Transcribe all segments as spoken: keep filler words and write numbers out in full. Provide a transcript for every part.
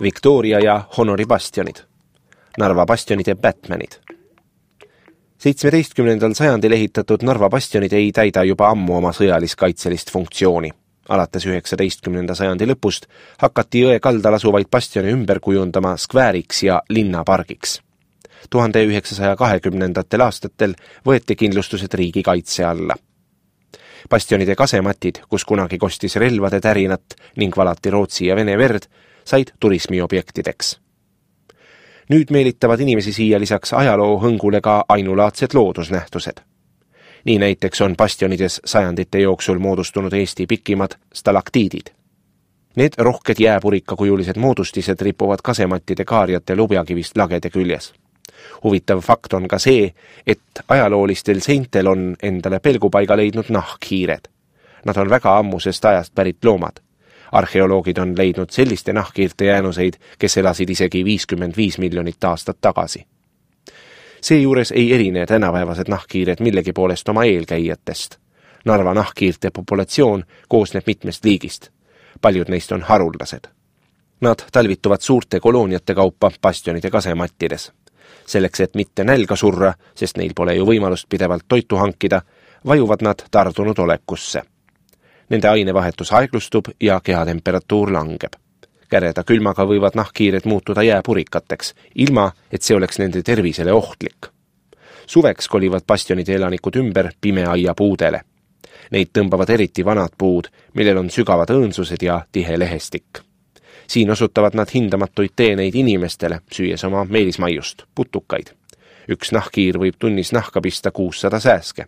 Victoria ja Honori bastionid, Narva bastionide Batmanid. seitsmeteistkümnendal sajandil ehitatud Narva bastionid ei täida juba ammu oma sõjalis-kaitselist funktsiooni. Alates üheksateistkümnenda sajandi lõpust hakati jõe kaldal asuvaid bastione ümber kujundama skvääriks ja linnapargiks. tuhande üheksasaja kahekümnendatel aastatel võeti kindlustused riigi kaitse alla. Bastionide kasematid, kus kunagi kostis relvade tärinat ning valati Rootsi ja Vene verd, said turismiobjektideks. Nüüd meelitavad inimesi siia lisaks ajaloo hõngule ka ainulaadsed loodusnähtused. Nii näiteks on bastionides sajandite jooksul moodustunud Eesti pikimad stalaktiidid. Need rohked jääpurikakujulised moodustised ripuvad kasemattide kaarjate lubjakivist lagede küljes. Huvitav fakt on ka see, et ajaloolistel seintel on endale pelgupaiga leidnud nahkhiired. Nad on väga ammusest ajast pärit loomad. Arheoloogid on leidnud selliste nahkhiirte jäänuseid, kes elasid isegi viiskümmend viis miljonit aastat tagasi. Seejuures ei erine tänapäevased nahkhiired millegi poolest oma eelkäijatest. Narva nahkhiirte populatsioon koosneb mitmest liigist. Paljud neist on haruldased. Nad talvituvad suurte kolooniate kaupa bastionide kasemattides. Selleks, et mitte nälga surra, sest neil pole ju võimalust pidevalt toitu hankida, vajuvad nad tardunud olekusse. Nende ainevahetus aeglustub ja kehatemperatuur langeb. Käreda külmaga võivad nahkhiired muutuda jääpurikateks, ilma et see oleks nende tervisele ohtlik. Suveks kolivad bastionide elanikud ümber pimeaia puudele. Neid tõmbavad eriti vanad puud, millel on sügavad õõnsused ja tihe lehestik. Siin osutavad nad hindamatuid teeneid inimestele, süües oma meelismaiust, putukaid. Üks nahkhiir võib tunnis nahka pista kuussada sääske.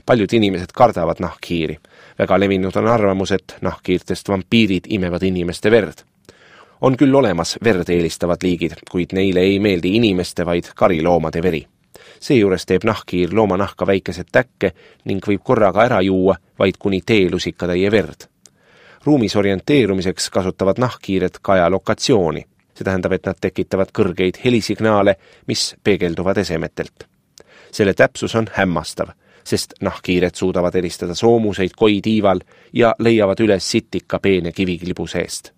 Paljud inimesed kardavad nahkhiiri. Väga levinud on arvamus, et nahkhiirtest vampiirid imevad inimeste verd. On küll olemas verd eelistavad liigid, kuid neile ei meeldi inimeste, vaid kariloomade veri. Seejuures teeb nahkhiir looma nahka väikesed täkke ning võib korraga ära juua vaid kuni teelusikatäie verd. Ruumis orienteerumiseks kasutavad nahkhiired kaja lokatsiooni. See tähendab, et nad tekitavad kõrgeid helisignaale, mis peegelduvad esemetelt. Selle täpsus on hämmastav, sest nahkhiired suudavad eristada soomuseid koi tiival ja leiavad üles sitika peene kiviklibu seest.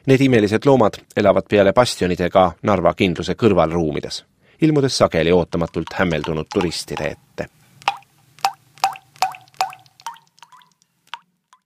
Need imelised loomad elavad peale bastionidega Narva kindluse kõrvalruumides, ilmudes sageli ootamatult hämmeldunud turistide ette.